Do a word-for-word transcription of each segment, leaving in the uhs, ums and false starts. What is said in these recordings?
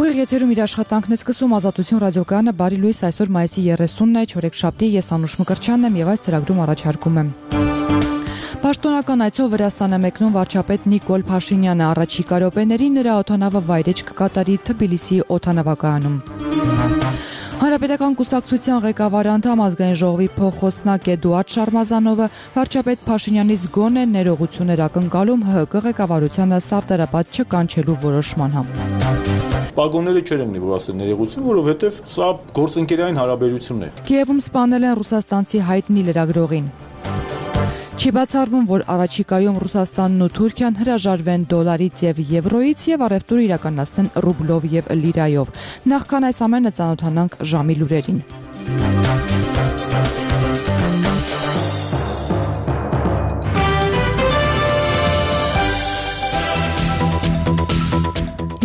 Ուղիղ եթերում իր աշխատանքն է սկսում Ազատություն ռադիոկայանը, բարի լույս, այսօր մայիսի երեսունն է, չորեքշաբթի, ես Անուշ Մկրտչյանն եմ եւ այս ծրագրում առաջարկում եմ. Պաշտոնական այցով Վրաստան է մեկնում վարչապետ Նիկոլ Փաշինյանը, առաջիկա րոպեներին նրա օդանավը վայրէջք կկատարի Թբիլիսի օդանավակայանում. Հանրապետական կուսակցության ղեկավար անդամ ազգային ժողովի փոխխոսնակ Էդուարդ Շարմազանովը վարչապետ Փաշինյանից գոնե ներողություն էր ակնկալում ՀՀԿ ղեկավարությանը սարտերապատ չկանչելու որոշման համար. Պագոնները չեր ելնի, որ ասել ներողություն, որովհետև սա գործընկերային հարաբերություն է. Կիևում սպանել են ռուսաստանցի հայտնի լրագրողին. Չի բացառվում, որ առաջիկայում Ռուսաստանն ու Թուրքիան հրաժարվեն դոլարից եւ եվրոից եւ առևտուր իրականացնեն ռուբլով եւ լիրայով. Նախքան այս ամենը ծանոթանանք ժամի լուրերին.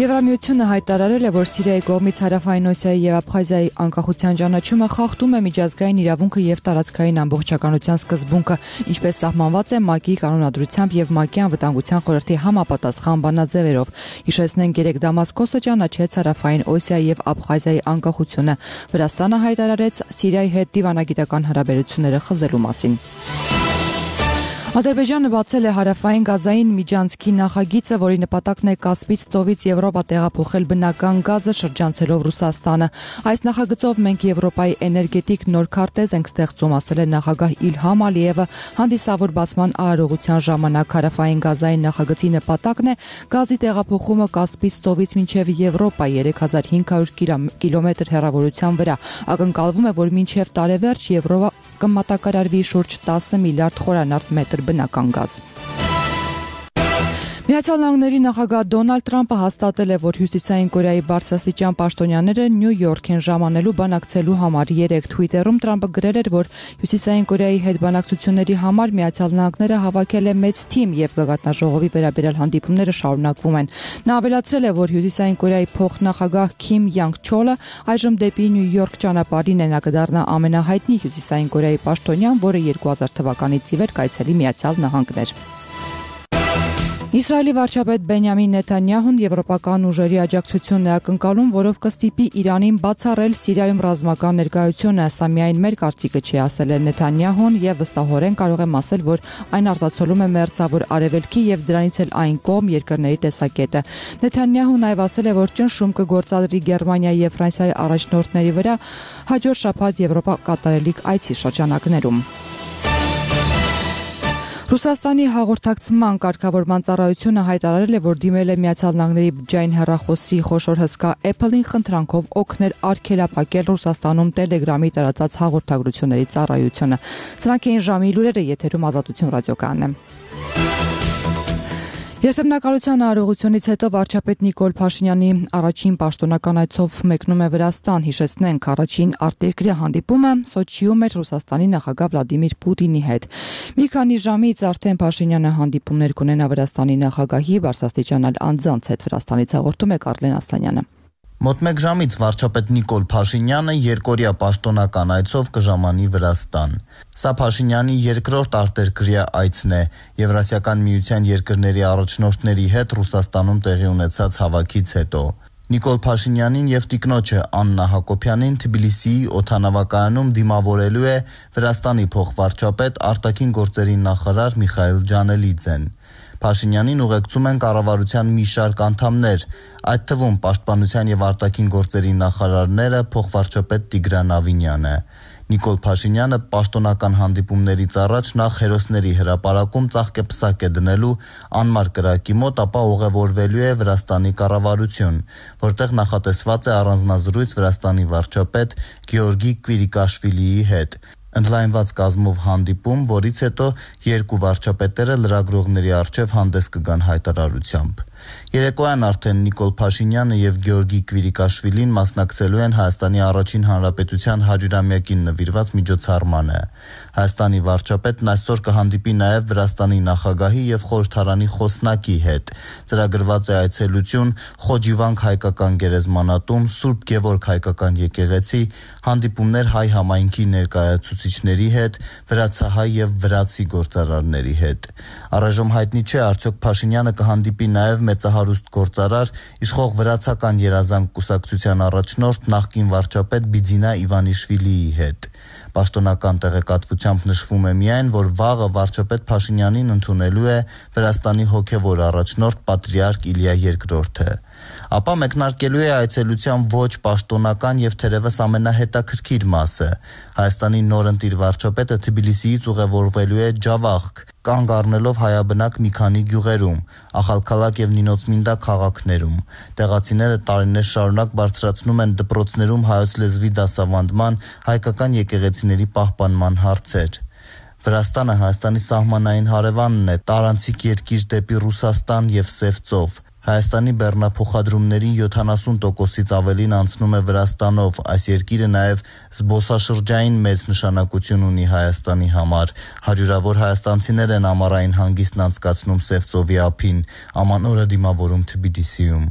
Եվրամիությունը հայտարարել է, որ Սիրիայի կողմից Հարավային Օսիայի եւ Աբխազիայի անկախության ճանաչումը խախտում է միջազգային իրավունքը եւ տարածքային ամբողջականության սկզբունքը, ինչպես սահմանված է ՄԱԿ-ի կանոնադրությամբ եւ ՄԱԿ-ի անվտանգության խորհրդի համապատասխան բանաձևերով։ Հիշեցնենք, երեկ Դամասկոսը ճանաչեց Հարավային Օսիայի եւ Աբխազիայի անկախությունը։ Վրաստանը հայտարարեց Սիրիայի հետ դիվանագիտական հարաբերությունները խզելու մասին։ Ադրբեջանը բացել է հարավային Գազային միջանցքի նախագիծը, որի նպատակն է Կասպից ծովից Եվրոպա տեղափոխել բնական գազը շրջանցելով Ռուսաստանը։ Այս նախագծով մենք Եվրոպայի էներգետիկ նոր քարտեզ ենք ստեղծում, ասել է նախագահ Իլհամ Ալիևը հանդիսավոր բացման արարողության ժամանակ։ Հարավային Գազային նախագծի նպատակն է գազի տեղափոխումը Կասպից ծովից մինչև Եվրոպա երեք հազար հինգ հարյուր կիլոմետր հեռավորության վրա։ Ակնկալվում է, որ մինչև տարեվերջ Եվրոպա կմատակարարվի շուրջ տասը միլիարդ խորանարդ մետր բնական գազ։ Միացյալ Նահանգների նախագահ Դոնալդ Թրամփը հաստատել է, որ Հյուսիսային Կորեայի բարձրաստիճան պաշտոնյաները Նյու Յորք են ժամանելու բանակցելու համար։ Երեկ Թվիտերում Թրամփը գրել էր, որ Հյուսիսային Կորեայի հետ բանակցությունների համար Միացյալ Նահանգները հավաքել է մեծ թիմ եւ գագաթնաժողովի վերաբերյալ հանդիպումները շարունակվում են։ Նա ավելացրել է, որ Հյուսիսային Կորեայի փոխնախագահ Քիմ Յանգ Չոլը այժմ դեպի Նյու Յորք ճանապարհին է, նա կդառնա ամենահայտնի Հյուսիսային Կորեայի պաշտոնյան, որը երկու հազար թվականից ի վեր կայցելի Միացյալ Նահանգներ։ Իսրայելի վարչապետ Բենյամին Նեթանյահուն եվրոպական ուժերի աջակցությունն է ակնկալում, որով կստիպի Իրանին բացառել Սիրիայում ռազմական ներկայությունը։ Սա միայն մեր կարծիքը չի, ասել է Նեթանյահուն եւ վստահորեն կարող եմ ասել, որ այն արտացոլում է մերձավոր արևելքի եւ դրանից էլ այն կողմ երկրների տեսակետը։ Նեթանյահուն այլ ասել է, որ ճնշում կգործադրի Գերմանիայի եւ Ֆրանսիայի առաջնորդների վրա հաջորդ շաբաթ Եվրոպա կատարելիք այցի շրջանակներում։ Ռուսաստանի հաղորդակցման կարգավորման ծառայությունը հայտարարել է, որ դիմել է Միացյալ Նահանգների բջջային հեռախոսի խոշոր հսկա Apple-ին խնդրանքով օգնել արգելափակել Ռուսաստանում Telegram-ի տարածած հաղորդագրությունների ծառայությունը։ Սրանք էին ժամի լուրերը, եթերում Ազատություն ռադիոկայանն է։ Երթմնակալության արարողությունից հետո վարչապետ Նիկոլ Փաշինյանի առաջին պաշտոնական այցով մեկնում է Վրաստան։ Հիշեցնենք, առաջին արտերկրյա հանդիպումը Սոչիում էր Ռուսաստանի նախագահ Վլադիմիր Պուտինի հետ։ Մի քանի ժամից արդեն Փաշինյանը հանդիպումներ կունենա Վրաստանի նախագահի բարձրաստիճան անձանց հետ։ Վրաստանից հաղորդում է Կարլեն Ասլանյանը։ Մոտ մեկ ժամից վարչապետ Նիկոլ Փաշինյանը երկօրյա պաշտոնական այցով կժամանի Վրաստան։ Սա Փաշինյանի երկրորդ արտերկրյա այցն է Եվրասիական միության երկրների առաջնորդների հետ Ռուսաստանում տեղի ունեցած հավաքից հետո։ Նիկոլ Փաշինյանին եւ տիկնոջը Աննա Հակոբյանին Թբիլիսիի օդանավակայանում դիմավորելու է Վրաստանի փոխվարչապետ արտաքին գործերի նախարար Միխայիլ Ջանելիձեն։ Փաշինյանին ուղեկցում են կառավարության մի շարք անդամներ, այդ թվում պաշտպանության եւ արտաքին գործերի նախարարները փոխվարչապետ Տիգրան Ավինյանը։ Նիկոլ Փաշինյանը պաշտոնական հանդիպումներից առաջ նախ հերոսների հրապարակում ծաղկեպսակ է դնելու անմար կրակի մոտ, ապա ուղևորվելու է Վրաստանի կառավարություն, որտեղ նախատեսված է առանձնազրույց Վրաստանի վարչապետ Գեորգի Կվիրիկաշվիլիի հետ։ Ընդլայնված կազմով հանդիպում, որից հետո երկու վարչապետերը լրագրողների առջև հանդես կգան հայտարարությամբ։ Երեկոյան արդեն Նիկոլ Փաշինյանը եւ Գեորգի Կվիրիկաշվիլին մասնակցելու են Հայաստանի առաջին հանրապետության հարյուրամյակին նվիրված միջոցառմանը։ Հայաստանի վարչապետն այսօր կհանդիպի նաեւ Վրաստանի նախագահի եւ խորհրդարանի խոսնակի հետ։ Ծրագրված է այցելություն Խոջիվանք հայկական գերեզմանատուն, Սուրբ Գևորգ հայկական եկեղեցի, հանդիպումներ հայ համայնքի ներկայացուցիչների հետ, վրացահայ եւ վրացի գործարարների հետ։ Առայժմ հայտնի չէ, արդյոք Փաշինյանը կհանդիպի նաեւ մեծահարուստ գործարար, իշխող վրացական երազանք կուսակցության առաջնորդ նախկին վարչապետ Բիձինա Իվանիշվիլիի հետ։ Պաշտոնական տեղեկատվությամբ նշվում է միայն, որ վաղը վարչապետ Փաշինյանին ընդունելու է Վրաստանի հոգևոր առաջնորդ պատրիարք Իլիա երկրորդը։ Ապա մեկնարկելու է այցելության ոչ պաշտոնական եւ թերևս ամենահետաքրքիր մասը։ Հայաստանի նորընտիր վարչապետը Թբիլիսիից ուղևորվելու է Ջավախք, կանգ առնելով հայաբնակ մի քանի գյուղերում, Ախալքալակ եւ Նինոցմինդա քաղաքներում։ Տեղացիները տարիներ շարունակ բարձրացնում են դպրոցներում հայոց լեզվի դասավանդման, հայկական եկեղեցիների պահպանման հարցեր։ Վրաստանը Հայաստանի սահմանային հարևանն է, տարանցիկ երկիր դեպի Ռուսաստան եւ Սև ծով։ Հայաստանի բեռնափոխադրումների յոթանասուն տոկոսից ավելին անցնում է Վրաստանով, այս երկիրը նաև զբոսաշրջային մեծ նշանակություն ունի Հայաստանի համար։ Հարյուրավոր հայաստանցիներ են ամառային հանգիստն անցկացնում Սև ծովի ափին, ամանորը դիմավորում Թբիլիսիում։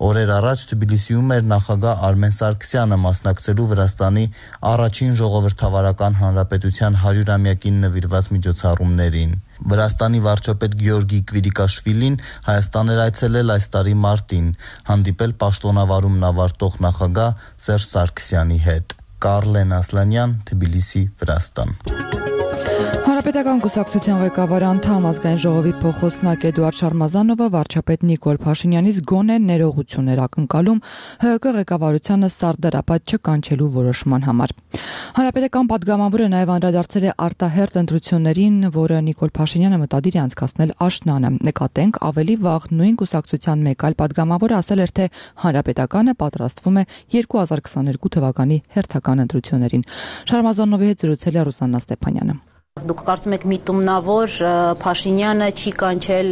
Օրեր առաջ Թբիլիսիում էր նախագահ Արմեն Սարգսյանը մասնակցելու Վրաստանի առաջին ժողովրդավարական հանրապետության հարյուրամյակին նվիրված միջոցառումներին։ Վրաստանի վարչապետ Գեորգի Կվիրիկաշվիլին Հայաստան էր այցելել այս տարի մարտին, հանդիպել պաշտոնավարումն ավարտող նախագահ Սերժ Սարգսյանի հետ։ Կարլեն Ասլանյան, Թբիլիսի, Վրաստան։ Հանրապետական կուսակցության ղեկավար անդամ ազգային ժողովի փոխոսնակ Էդուարդ Շարմազանովը վարչապետ Նիկոլ Փաշինյանից գոնե ներողություններ ակնկալում ՀՀԿ ղեկավարությանը սարդարապատ չկանչելու որոշման համար։ Հանրապետական падգամավորը նաև անդրադարձել է արտահերթ ընտրություններին, որը Նիկոլ Փաշինյանը մտադիր է անցկացնել աշնանը։ Նկատենք, ավելի վաղ նույն կուսակցության մեկ այլ падգամավոր ասել էր, թե Հանրապետականը պատրաստվում է երկու հազար քսաներկու թվականի հերթական ընտրություններին։ Շարմազանովի հետ զրուցել է Ռուսաննա Ստեփանյանը։ Դուք կարծում եք միտումնավոր Փաշինյանը չի կանչել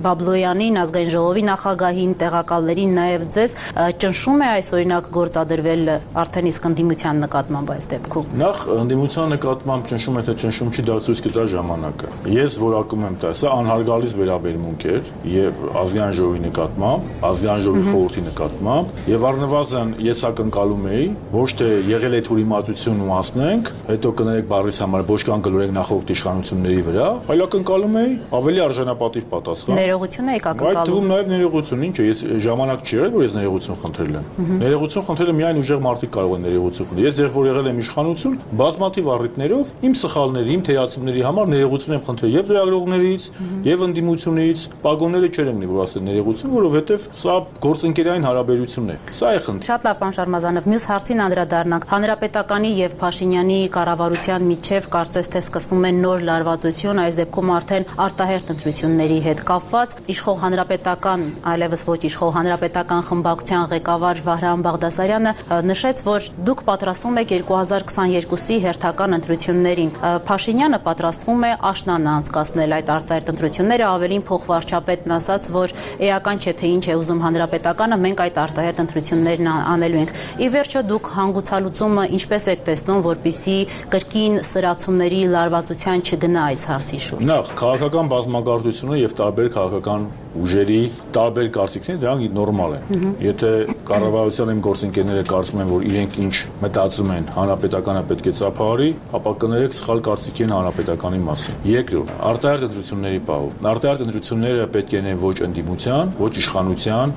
Բաբլոյանին, ազգային ժողովի նախագահին, տեղակալներին, նաև ձեզ, ճնշում է այս օրինակ գործադրվել արդեն իսկ ընդդիմության նկատմամբ այս դեպքում։ Նախ ընդդիմության նկատմամբ ճնշում է, թե ճնշում չի, դա ցույց կտա ժամանակը։ Ես որակում եմ դա, սա անհարգալից վերաբերմունք էր եւ ազգային ժողովի նկատմամբ, ազգային ժողովի խորհրդի նկատմամբ եւ առնվազն ես ակնկալում էի, ոչ թե եղել է թուրիմատություն ու ասնենք, հետո կներեք բարիս համար ոչ կան գլորեք նախորդ իշխանությունների վրա, այլ ակնկալում էի ավելի արժանապատիվ պատասխան։ Ներողություն եք ակնկալում։ Այդ թվում նաև ներողություն, ինչ է, ես ժամանակ չի եղել, որ ես ներողություն խնդրել եմ։ Ներողություն խնդրելը միայն ուժեղ մարդիկ կարող են ներողություն խնդրել։ Ես երբ որ եղել եմ իշխանություն, բազմաթիվ առիթներով իմ սխալների, իմ թերացումների համար ներողություն եմ խնդրել եւ լրագրողներից, եւ ընդդիմությունից, պագոնները չեր եմնի, որ ասել ներողություն, որովհետեւ սա գործընկերային հարաբերություն է։ Սա է խնդիրը։ Շատ լավ, պարոն Շարմազանով, մյուս հարցին անդրադառնանք։ Հանրապետականի եւ Փաշինյանի կառավարության միջև կարծես թե սկսվում է նոր լարվածություն, այս դեպքում արդեն արտահերթ ընտրությունների հետ կապված։ Իշխող հանրապետական, այլևս ոչ իշխող հանրապետական խմբակցության ղեկավար Վահրամ Բաղդասարյանը նշեց, որ դուք պատրաստվում եք երկու հազար քսաներկուի հերթական ընտրություններին։ Փաշինյանը պատրաստվում է աշնանը անցկացնել այդ արտահերթ ընտրությունները, ավելին փոխվարչապետն ասաց, որ էական չէ թե ինչ է ուզում հանրապետականը, մենք այդ արտահերթ ընտրություններն անելու ենք։ Ի վերջո դուք հանգուցալուծումը ինչպես եք տեսնում, որպիսի կրկին սրացումների լարվածության չգնա այս հարցի շուրջ։ Նախ քաղաքական բազմագործությունը եւ տարբեր քաղաքական ուժերի տարբեր կարծիքներ դրանք նորմալ են։ Եթե կառավարության իմ գործընկերները կարծում են, որ իրենք ինչ մտածում են, հանրապետականը պետք է ծափահարի, ապա կներեք սխալ կարծիքի են հանրապետականի մասին։ Երկրորդ, արտահերթ ընտրությունների պահով։ Արտահերթ ընտրությունները պետք է լինեն ոչ ընդդիմության, ոչ իշխանության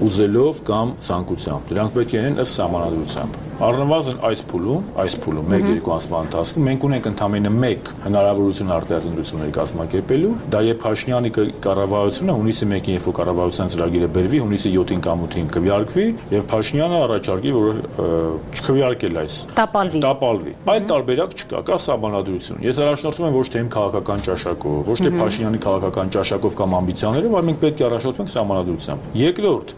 ուզելով կամ ցանկությամբ։ Դրանք պետք է լինեն ըստ սահմանադրությամբ։ Առնվազն այս փուլում, այս փուլում մեկ-երկու ամսվա ընթացքում մենք ունենք ընդամենը մեկ հնարավորություն արտահերթ ընտրությունների կազմակերպելու, դա երբ Փաշինյանի կառավարությունը հունիսի մեկին, երբ որ կառավարության ծրագիրը բերվի, հունիսի յոթին կամ ութին քվեարկվի, եւ Փաշինյանը առաջարկի, որ չքվեարկել այս։ Տապալվի։ Տապալվի։ Այլ տարբերակ չկա, կա սահմանադրություն։ Ես առաջնորդվում եմ ոչ թե իմ քաղաքական ճաշակով, ոչ թե Փաշինյանի քաղաքական ճաշակով կամ ամբիցիաներով, այլ մենք պետք է առաջնորդվենք սահմանադրությամբ։ Երկրորդ,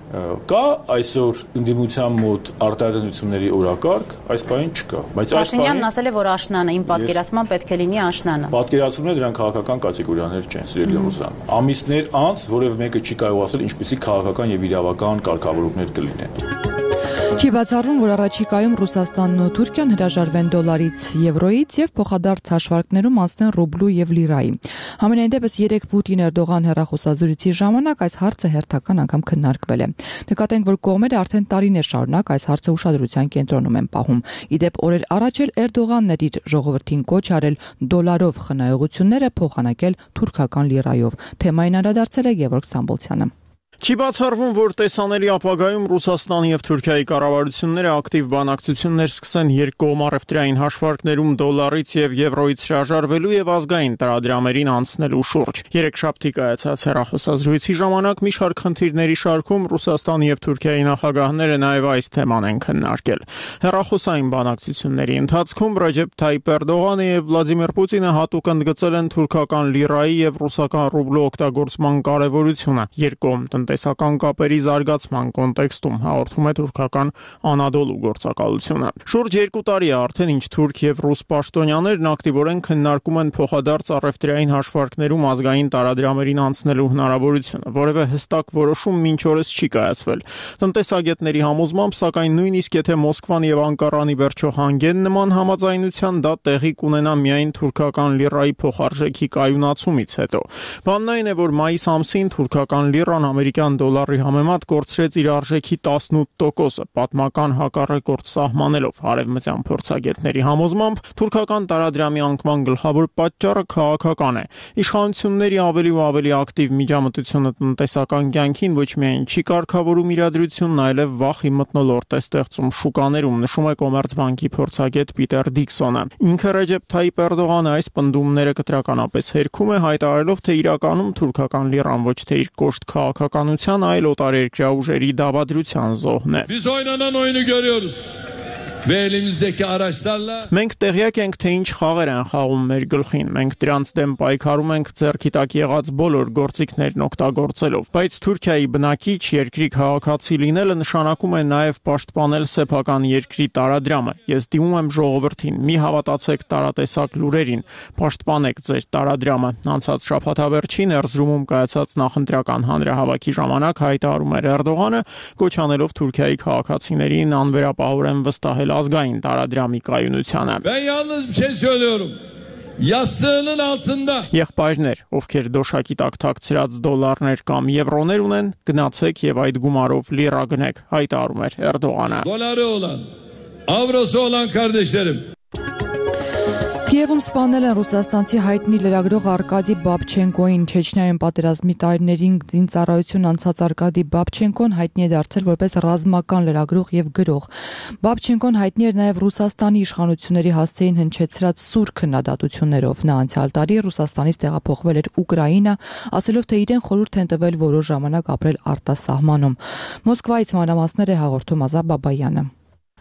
կա այսօր ընդդիմության մոտ արտահերթ ընտրությունների օրակարգ, այս բանը չկա։ Բայց այս Փաշինյանն ասել է, որ աշնանը, իմ պատկերացման պետք է լինի աշնանը։ Պատկերացումները դրանք քաղաքական կատեգորիաներ չեն, սիրելի Ռուսան։ Ամիսներ անց որևէ մեկը չի կարող ասել ինչպեսի քաղաքական եւ իրավական կարգավորումներ կլինեն։ Չի բացառվում, որ առաջիկայում Ռուսաստանն ու Թուրքիան հրաժարվեն դոլարից, եվրոից եւ փոխադարձ հաշվարկներում անցնեն ռուբլու եւ լիրայի։ Համենայն դեպս երեք Պուտին-Էրդողան հեռախոսազրույցի ժամանակ այս հարցը հերթական անգամ քննարկվել է։ Նկատենք, որ կողմերը արդեն տարիներ շարունակ այս հարցը ուշադրության կենտրոնում են պահում։ Ի դեպ, օրեր առաջ էլ Էրդողանն էր իր ժողովրդին կոչ արել դոլարով խնայողությունները փոխանակել թուրքական լիրայով։ Թեմային անդրադարձել է Գևորգ Սամբոլցյանը։ Չի բացառվում, որ տեսանելի ապագայում Ռուսաստանի եւ Թուրքիայի կառավարությունները ակտիվ բանակցություններ սկսեն երկկողմ առևտրային հաշվարկներում դոլարից եւ եվրոյից հրաժարվելու եւ ազգային տարադրամերին անցնելու շուրջ։ Երեքշաբթի կայացած հեռախոսազրույցի ժամանակ մի շարք խնդիրների շարքում Ռուսաստանի եւ Թուրքիայի նախագահները նաեւ այս թեման են քննարկել։ Հեռախոսային բանակցությունների ընթացքում Ռեջեփ Թայիփ Էրդողանը եւ Վլադիմիր Պուտինը հատուկ ընդգծել են թուրքական լիրայի եւ ռուսական ռուբլու օգտագործման կարեւորությունը երկկողմ տնտեսական կապերի զարգացման կոնտեքստում, հաղորդում է թուրքական Անադոլու գործակալությունը։ Շուրջ երկու տարի է արդեն ինչ թուրք եւ ռուս պաշտոնյաներն ակտիվորեն քննարկում են փոխադարձ առևտրային հաշվարկներում ազգային տարադրամերին անցնելու հնարավորությունը, որևէ հստակ որոշում մինչ օրս չի կայացվել։ Տնտեսագետների համոզմամբ, սակայն նույնիսկ եթե Մոսկվան եւ Անկարանի վերջո հանգեն նման համաձայնության, դա տեղի կունենա միայն թուրքական լիրայի փոխարժեքի կայունացումից հետո։ Բանն այն է, որ մայիս ամսին թուրքական լիրան ամերիկյան դոլարի համեմատ կորցրեց իր արժեքի տասնութ տոկոսը, պատմական հակառեկորդ սահմանելով։ Արևմտյան փորձագետների համոզմամբ, թուրքական տարադրամի անկման գլխավոր պատճառը քաղաքական է։ Իշխանությունների ավելի ու ավելի ակտիվ միջամտությունը տնտեսական կյանքին ոչ միայն չի կարգավորում իրադրությունն, այլև վախի մթնոլորտ է ստեղծում շուկաներում, նշում է Կոմերցբանկի փորձագետ Պիտեր Դիքսոնը։ Ինքը Ռեջեփ Թայիփ Էրդողանը այս պնդումները կտրականապես հերքում է, հայտարարելով, թե իրականում թուրքական լիրան ոչ թե իր կոշտ քաղաքականության, այլ օտարերկրյա ուժերի դավադրության զոհն է։ Biz oynanan oyunu görüyoruz. Ve elimizdeki araçlarla Մենք տեղյակ ենք, թե ինչ խաղեր են խաղում մեր գլխին։ Մենք դրանց դեմ պայքարում ենք ձեռքի տակ եղած բոլոր գործիքներն օգտագործելով։ Բայց Թուրքիայի բնակիչ երկրի քաղաքացի լինելը նշանակում է նաև պաշտպանել սեփական երկրի տարադրամը։ Ես դիմում եմ ժողովրդին՝ մի հավատացեք տարատեսակ լուրերին, պաշտպանեք ձեր տարադրամը։ Անցած շաբաթավերջին Էրզրումում կայացած նախընտրական հանրահավաքի ժամանակ հայտարարում էր Էրդողանը, կոչ անելով Թուրքիայի քաղաքացիներին անվերապահորեն վստահել ազգային տարադրամի կայունությանը։ ben yalnız bir şey söylüyorum. Yastığının altında Եղբայրներ, ովքեր դոշակի տակ թաքցրած դոլարներ կամ եվրոներ ունեն, գնացեք եւ այդ գումարով լիրա գնեք, հայտարարում էր Էրդողանը։ doları olan, avrosu olan kardeşlerim. Կիևում սպանել են ռուսաստանցի հայտնի լրագրող Արկադի Բաբչենկոին։ Չեչնիայում պատերազմի տարիներին զինծառայություն անցած Արկադի Բաբչենկոն հայտնի է դարձել որպես ռազմական լրագրող եւ գրող։ Բաբչենկոն հայտնի էր նաեւ Ռուսաստանի իշխանությունների հասցեին հնչեցրած սուր քննադատություններով։ Նա անցյալ տարի Ռուսաստանից տեղափոխվել էր Ուկրաինա, ասելով, թե իրեն խորհուրդ են տվել որոշ ժամանակ ապրել արտասահմանում։ Մոսկվայից մանրամասներ է հաղորդում Ազա Բաբայանը։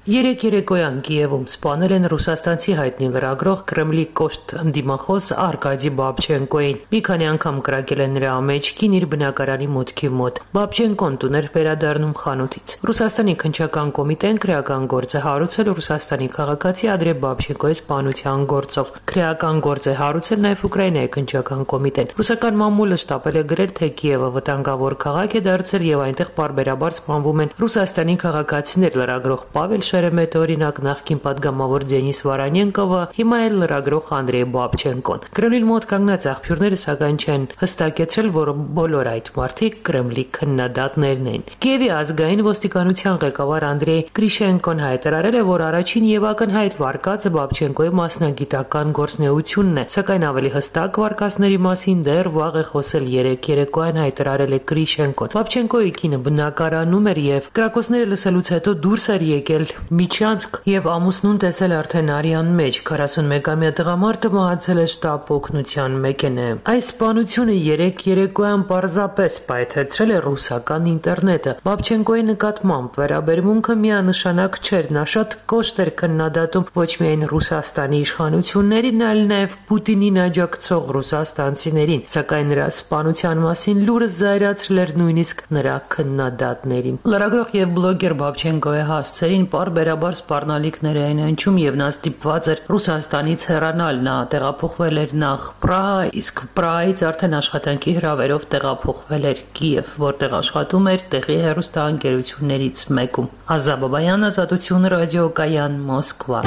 Երեք երեկոյան Կիևում սպանել են ռուսաստանցի հայտնի լրագրող Կրեմլի կոշտ ընդդիմախոս Արկադի Բաբչենկոին։ Մի քանի անգամ կրակել են նրա մեջքին իր բնակարանի մուտքի մոտ։ Բաբչենկոն տուն էր վերադառնում խանութից։ Ռուսաստանի քննչական կոմիտեն քրեական գործ է հարուցել Ռուսաստանի քաղաքացի Անդրեյ Բաբչենկոյի սպանության գործով։ Քրեական գործ է հարուցել նաև Ուկրաինայի քննչական կոմիտեն։ Ռուսական մամուլը շտապել է գրել, թե Կիևը վտանգավոր քաղաք է դարձել եւ այնտեղ պարբերաբար սպանվում են Ռուսաստանի քաղաքացիներ։ Լրագրող Պավել Շերեմետը, օրինակ, նախկին падգամավոր Դենիս Վարանենկովը, հիմա էլ լրագրող Անդրեյ Բաբչենկոն։ Կրեմլին մոտ կանգնած աղբյուրները սակայն չեն հստակեցրել, որ բոլոր այդ մարդիկ Կրեմլի քննադատներն են։ Կիևի ազգային ոստիկանության ղեկավար Անդրեյ Գրիշենկոն հայտարարել է, որ առաջին եւ ակնհայտ վարկածը Բաբչենկոյի մասնագիտական գործունեությունն է, սակայն ավելի հստակ վարկածների մասին դեռ վաղ է խոսել երեք երեկոյան հայտարարել է Գրիշենկոն։ Բաբչենկոյի կինը բնակարանում էր եւ կրակոցները լսելուց հետո դուրս էր եկել Միջանցք եւ ամուսնուն տեսել արդեն արյան մեջ։ քառասունմեկամյա տղամարդը մահացել է շտապ օգնության մեքենայում։ Այս սպանությունը երեք երեկոյան պարզապես պայթեցրել է ռուսական ինտերնետը։ Բաբչենկոյի նկատմամբ վերաբերմունքը միանշանակ չէր, նա շատ կոշտ էր քննադատում ոչ միայն Ռուսաստանի իշխանություններին, այլ նաեւ Պուտինին աջակցող ռուսաստանցիներին, սակայն նրա սպանության մասին լուրը զայրացրել էր նույնիսկ նրա քննադատներին։ Լրագրող եւ բլոգեր Բաբչենկոյի հասցերին պարբերաբար սպառնալիքներ էին հնչում եւ նա ստիպված էր Ռուսաստանից հեռանալ։ Նա տեղափոխվել էր նախ Պրահա, իսկ Պրահայից արդեն աշխատանքի հրավերով տեղափոխվել էր Կիև, որտեղ աշխատում էր տեղի հեռուստաընկերություններից մեկում։ Ազա Բաբայան, Ազատություն ռադիոկայան, Մոսկվա։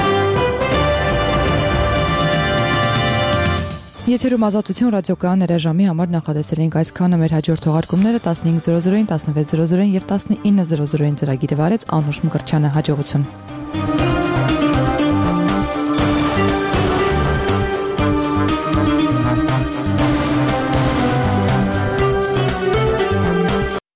Եթերում Ազատություն ռադիոկայան հրաժամի համար նախատեսել ենք այսքանը։ Մեր հաջորդ թողարկումները տասնհինգ զրո զրոին, տասնվեց զրո զրոին եւ տասնինը զրո զրոին ծրագիրը վարեց Անուշ Մկրտչյանը։ Հաջողություն։